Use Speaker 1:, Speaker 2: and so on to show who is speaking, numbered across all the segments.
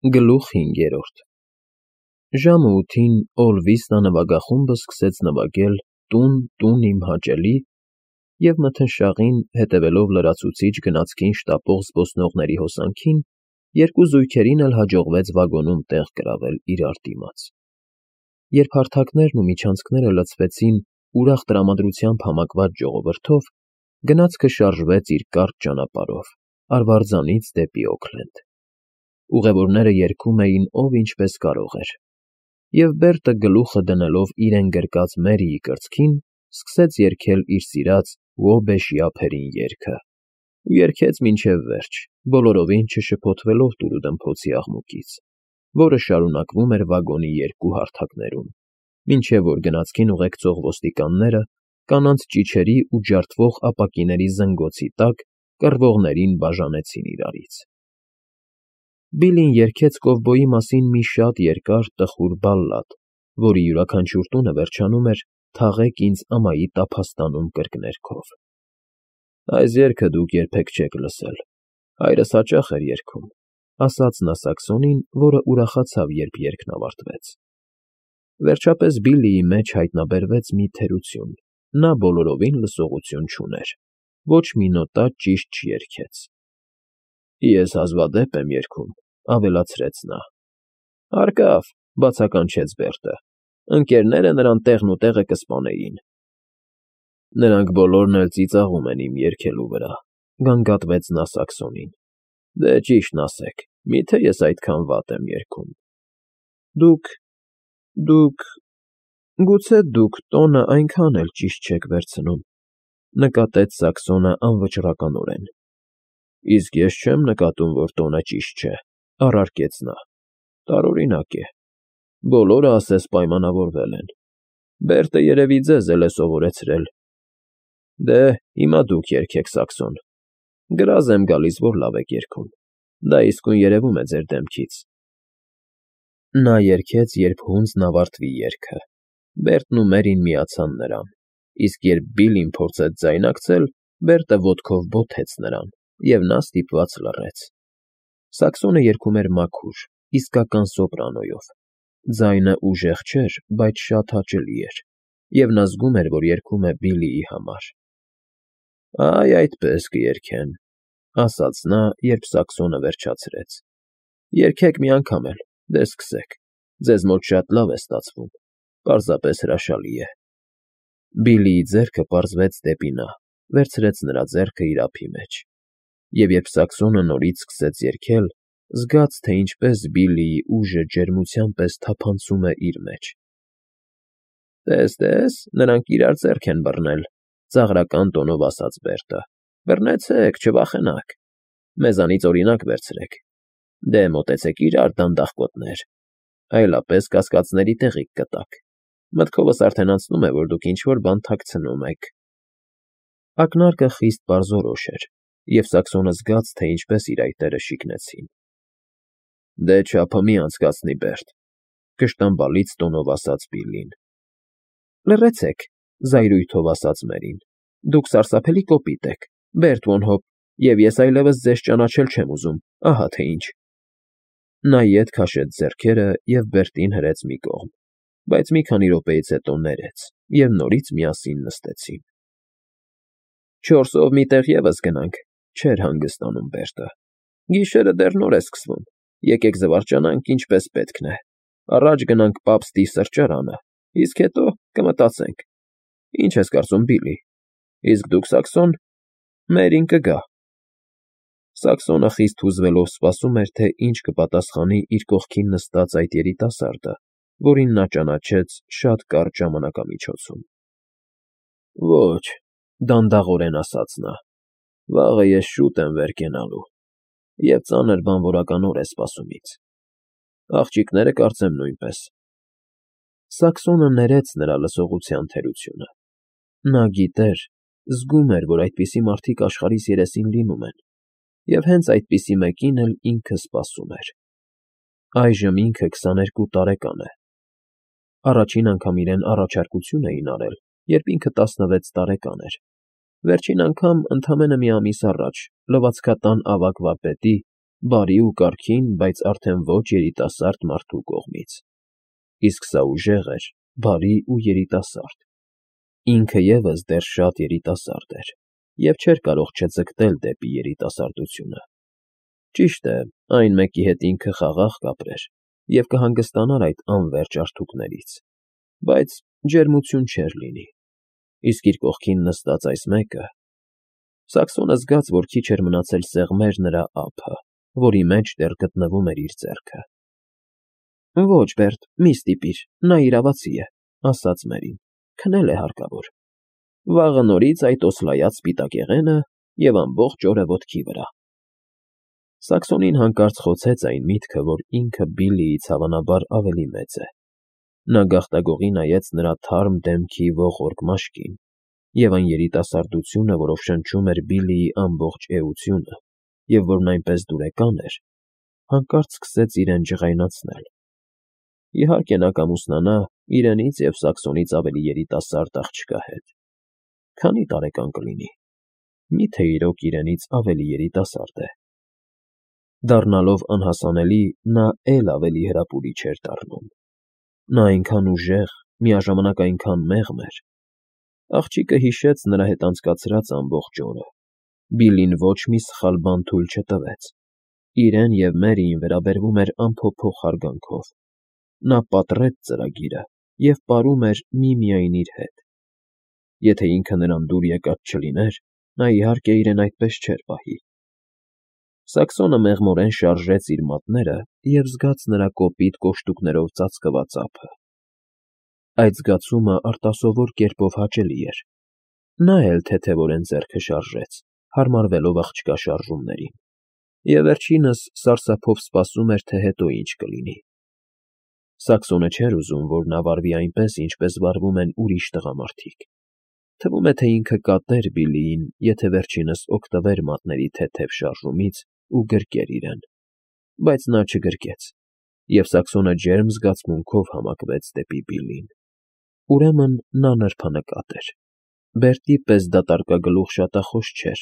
Speaker 1: Գլուխ 5 Ժամը 8-ին Օլվիստ նվագախումբը սկսեց նվագել «Տուն, տուն, իմ հաճելի» և մթնշաղին, հետևելով լրացուցիչ գնացքին շտապող զբոսնողների հոսանքին, երկու զույգերին էլ հաջողվեց վագոնում տեղ գրավել իրար դիմաց։ Երբ հարթակներն ու միջանցքները լցվեցին ուրախ տրամադրությամբ համակված ժողովրդով, գնացքը շարժվեց իր կարճ ճանապարհով, Արվարձանից դեպի Օքլենդ։ Ուղևորները երգում էին ով ինչպես կարող էր, և Բերտը գլուխը դնելով իրեն գրկած Մերիի կրծքին, սկսեց երգել իր սիրած «Ո Բեշիափերին» երգը, ու երգեց մինչև վերջ, բոլորովին չշփոթվելով տուրուդմփոցի աղմուկից, որը շարունակվում էր վագոնի երկու հարթակներում, մինչև որ գնացքին ուղեկցող ոստիկանները կանանց ճիչերի ու ջարդվող ապակիների զնգոցի տակ կռվողներին բաժանեցին իրարից։ Բիլլին երգեց կովբոյի մասին մի շատ երկար տխուր բալլադ, որի յուրաքանչյուր տունը վերջանում էր «Թաղեք ինձ ամայի տափաստանում» կրկներգով։ «Այս երգը դուք երբեք չեք լսել, հայրս հաճախ էր երգում», ասաց նա Սաքսոնին, որը ուրախացավ, երբ երգն ավարտվեց։ Վերջապես Բիլլիի մեջ հայտնաբերվեց մի թերություն. նա բոլորովին լսողություն չուներ, ոչ մի նոտա ճիշտ չերգեց։ «Ես հազվադեպ եմ երգում», ավելացրեց նա։ «Հարկավ», բացականչեց Բերտը, «ընկերները նրան տեղն ու տեղը կսպանեին»։ «Նրանք բոլորն էլ ծիծաղում են իմ երգելու վրա», գանգատվեց նա Սաքսոնին։ «Դե ճիշտն ասեք, մի՞թե ես այդքան վատ եմ երգում»։ Դուք… Գուցե դուք տոնը այնքան էլ ճիշտ չեք վերցնում, նկատեց Սաքսոնը անվճռականորեն։ Իսկ ես չեմ նկատում, որ տոնը ճիշտ չէ, առարկեց նա։ Տարօրինակ է։ Բոլորը ասես պայմանավորվել են։ Բերտը երևի ձեզ էլ է սովորեցրել։ Դե, հիմա դուք երգեք, Սաքսոն։ Գրազ եմ գալիս, որ լավ եք երգում։ Դա իսկույն երևում է ձեր դեմքից։ Նա երգեց, երբ հունձն ավարտվի երգը։ Բերտն ու Մերին միացան նրան, իսկ երբ Բիլլին փորձեց ձայնակցել, Բերտը ոտքով բոթեց նրան, և նա ստիպված լռեց։ Սաքսոնը երգում էր մաքուր, իսկական սոպրանոյով։ Ձայնը ուժեղ չէր, բայց շատ հաճելի էր, և նա զգում էր, որ երգում է Բիլլիի համար։ «Այ այդպես կերգեն», ասաց նա, երբ Սաքսոնը վերջացրեց։ «Երգեք մի անգամ էլ, դե սկսեք, ձեզ մոտ շատ լավ է ստացվում, պարզապես հրաշալի է»։ Բիլլիի ձեռքը պարզվեց դեպի նա, վերցրեց նրա ձեռքը իր ափի մեջ, և երբ Սաքսոնը նորից սկսեց երգել, զգաց, թե ինչպես Բիլլիի ուժը ջերմության պես թափանցում է իր մեջ։ «Տես, նրանք իրար ձեռք են բռնել», ծաղրական տոնով ասաց Բերտը։ «Բռնեցեք, չվախենաք։ Մեզանից օրինակ վերցրեք։ Դե մոտեցեք իրար, դանդաղկոտներ, այլապես կասկածների տեղիք կտաք։ Մտքովս արդեն անցնում է, որ դուք ինչ֊որ բան թաքցնում եք»։ Ակնարկը խիստ պարզորոշ էր, և Սաքսոնը զգաց, թե ինչպես իր այտերը շիկնեցին։ «Դե չափը մի անցկացնի, Բերտ», կշտամբալից տոնով ասաց Բիլլին։ «Լռեցեք», զայրույթով ասաց Մերին։ «Դուք սարսափելի կոպիտ եք, Բերտ Վոն Հոփ, և ես այլևս ձեզ ճանաչել չեմ ուզում, ահա թե ինչ»։ Նա ետ քաշեց ձեռքերը և Բերտին հրեց մի կողմ, բայց մի քանի րոպեից հետո ներեց, և նորից միասին նստեցին։ «Չորսով մի տեղ ևս գնանք», չէր հանգստանում Բերտը։ «Գիշերը դեռ նոր է սկսվում, եկեք զվարճանանք, ինչպես պետքն է, առաջ գնանք պապստի սրճարանը, իսկ հետո կմտածենք։ Ինչ ես կարծում, Բիլլի, իսկ դուք, Սաքսոն, Մերին կգա»։ Սաքսոնը խիստ հուզվելով սպասում էր, թե ինչ կպատասխանի իր կողքին նստած այդ երիտասարդը, որին նա ճանաչեց շատ կարճ ժամանակամիջոցում։ «Ոչ», դանդաղորեն ասաց նա, «վաղը ես շուտ եմ վեր կենալու, և ծանր բանվորական օր է սպասում ինձ։ Աղջիկները կարծեմ նույնպես»։ Սաքսոնը ներեց նրա լսողության թերությունը։ Նա գիտեր, զգում էր, որ այդպիսի մարդիկ աշխարհիս երեսին լինում են, և հենց այդպիսի մեկին էլ ինքը սպասում էր։ Այժմ ինքը 22 տարեկան է։ Առաջին անգամ իրեն առաջարկություն էին արել, երբ ինքը 16 տարեկան էր։ Վերջին անգամ ընդամենը մի ամիս առաջ լվացքատան ավագ վարպետի, բարի ու կարգին, բայց արդեն ոչ երիտասարդ մարդու կողմից, իսկ սա ուժեղ էր, բարի ու երիտասարդ, ինքը ևս դեռ շատ երիտասարդ էր և չէր կարող չձգտել դեպի երիտասարդությունը, ճիշտ է, այն մեկի հետ ինքը խաղաղ կապրեր և կհանգստանար այդ անվերջ արթուկներից, բայց ջերմություն չէր լինի, իսկ իր կողքին նստած այս մեկը… Սաքսոնը զգաց, որ քիչ էր մնացել սեղմեր նրա ափը, որի մեջ դեռ գտնվում էր իր ձեռքը։ Ոչ, Բերտ, մի ստիպիր, նա իրավացի է, ասաց Մերին, քնել է հարկավոր։ Վաղը նորից այդ օսլայած սպիտակեղենը և ամբողջ օրը ոտքի վրա։ Սաքսոնին հանկարծ խոցեց այն միտքը, որ ինքը Բիլլիից հավանաբար ավելի մեծ է։ Նա գաղտագողի նայեց նրա թարմ դեմքի ողորկ մաշկին, և այն երիտասարդությունը, որով շնչում էր Բիլլիի ամբողջ էությունը, և որն այնպես դուրեկան էր, հանկարծ սկսեց իրեն ջղայնացնել։ Իհարկե նա կամուսնանա իրենից և Սաքսոնից ավելի երիտասարդ աղջկա հետ։ Քանի՞ տարեկան կլինի։ Մի՞թե իրոք իրենից ավելի երիտասարդ է։ Դառնալով անհասանելի, նա էլ ավելի հրապուրիչ էր դառնում։ Նա այնքան ուժեղ, միաժամանակ այնքան մեղմ էր։ Աղջիկը հիշեց նրա հետ անցկացրած ամբողջ օրը։ Բիլլին ոչ մի սխալ բան թույլ չտվեց։ Իրեն և Մերիին վերաբերվում էր անփոփոխ հարգանքով։ Նա պատռեց ծրագիրը և պարում էր միմիայն իր հետ։ Եթե ինքը նրան դուր եկած չլիներ, նա իհարկե իրեն այդպես չէր պահի։ Սաքսոնը մեղմորեն շարժեց իր մատները և զգաց նրա կոպիտ կոշտուկներով ծածկված ափը։ Այդ զգացումը արտասովոր կերպով հաճելի էր։ Նա էլ թեթևորեն ձեռքը շարժեց, հարմարվելով աղջկա շարժումներին, և վերջինս սարսափով սպասում էր, թե հետո ինչ կլինի։ Սաքսոնը չէր ուզում, որ նա վարվի այնպես, ինչպես վարվում են ուրիշ տղամարդիկ։ Թվում է, թե ինքը կատեր Բիլլիին, եթե վերջինս օգտվեր մատների թեթև շարժումից ու գրկեր իրեն, բայց նա չգրկեց, և Սաքսոնը ջերմ զգացմունքով համակվեց դեպի Բիլլին։ Ուրեմն նա նրբանկատ էր։ Բերտի պես դատարկագլուխ շատախոս չէր,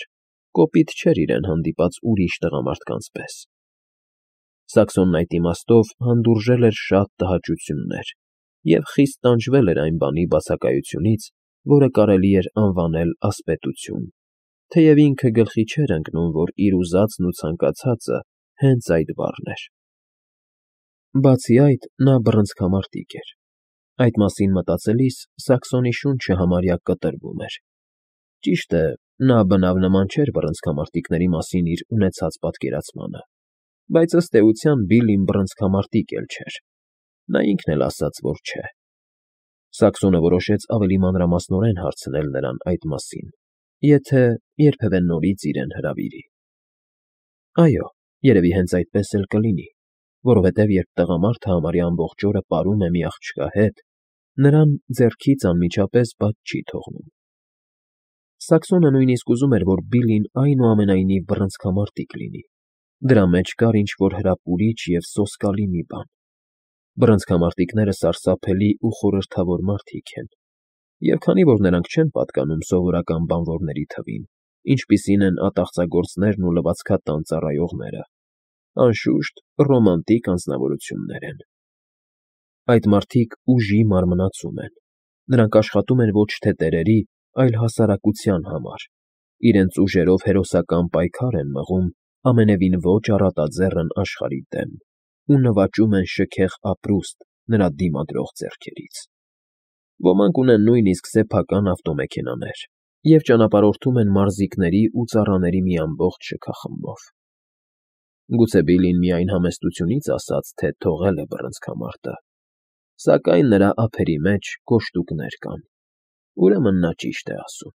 Speaker 1: կոպիտ չէր իրեն հանդիպած ուրիշ տղամարդկանց պես։ Սաքսոնն այդ իմաստով հանդուրժել էր շատ տհաճություններ և խիստ տանջվել էր այն բանի բացակայությունից, որը կարելի էր անվանել ասպետություն, թեև ինքը գլխի չէր ընկնում, որ իր ուզածն ու ցանկացածը հենց այդ բառն էր։ Բացի այդ, նա բռնցքամարտիկ էր։ Այդ մասին մտածելիս Սաքսոնի շունչը համարյա կտրվում էր։ Ճիշտ է, նա բնավ նման չէր բռնցքամարտիկների մասին իր ունեցած պատկերացմանը, բայց ըստ էության Բիլլին բռնցքամարտիկ էլ չէր։ Նա ինքն էլ ասաց, որ չէ։ Սաքսոնը որոշեց ավելի մանրամասնորեն հարցնել նրան այդ մասին, եթե երբևէ նորից իրեն հրավիրի։ Այո, երևի հենց այդպես էլ կլինի, որովհետև երբ տղամարդը համարյա ամբողջ օրը պարում է մի աղջկա հետ, նրան ձեռքից անմիջապես բաց չի թողնում։ Սաքսոնը նույնիսկ ուզում էր, որ Բիլլին այնուամենայնիվ բռնցքամարտիկ լինի։ Դրա մեջ կար ինչ-որ հրապուրիչ և սոսկալի մի բան։ Բռնցքամարտիկները սարսափելի ու խորհրդավոր մարդիկ են, և քանի որ նրանք չեն պատկանում սովորական բանվորների թվին, ինչպիսին են ատաղծագործներն ու լվացքատան ծառայողները, անշուշտ, ռոմանտիկ անձնավորություններ են։ Այդ մարդիկ ուժի մարմնացում են։ Նրանք աշխատում են ոչ թե տերերի, այլ հասարակության համար, իրենց ուժերով հերոսական պայքար են մղում ամենևին ոչ առատաձեռն աշխարհի դեմ ու նվաճում են շքեղ ապրուստ նրա դիմադրող ձեռքերից։ Ոմանք ունեն նույնիսկ սեփական ավտոմեքենաներ և ճանապարհորդում են մարզիկների ու ծառաների մի ամբողջ շքախմբով։ Գուցե Բիլլին միայն համեստությունից ասաց, թե թողել է բռնցքամարտը, սակայն նրա ափերի մեջ կոշտուկներ կան, ուրեմն նա ճիշտ է ասում։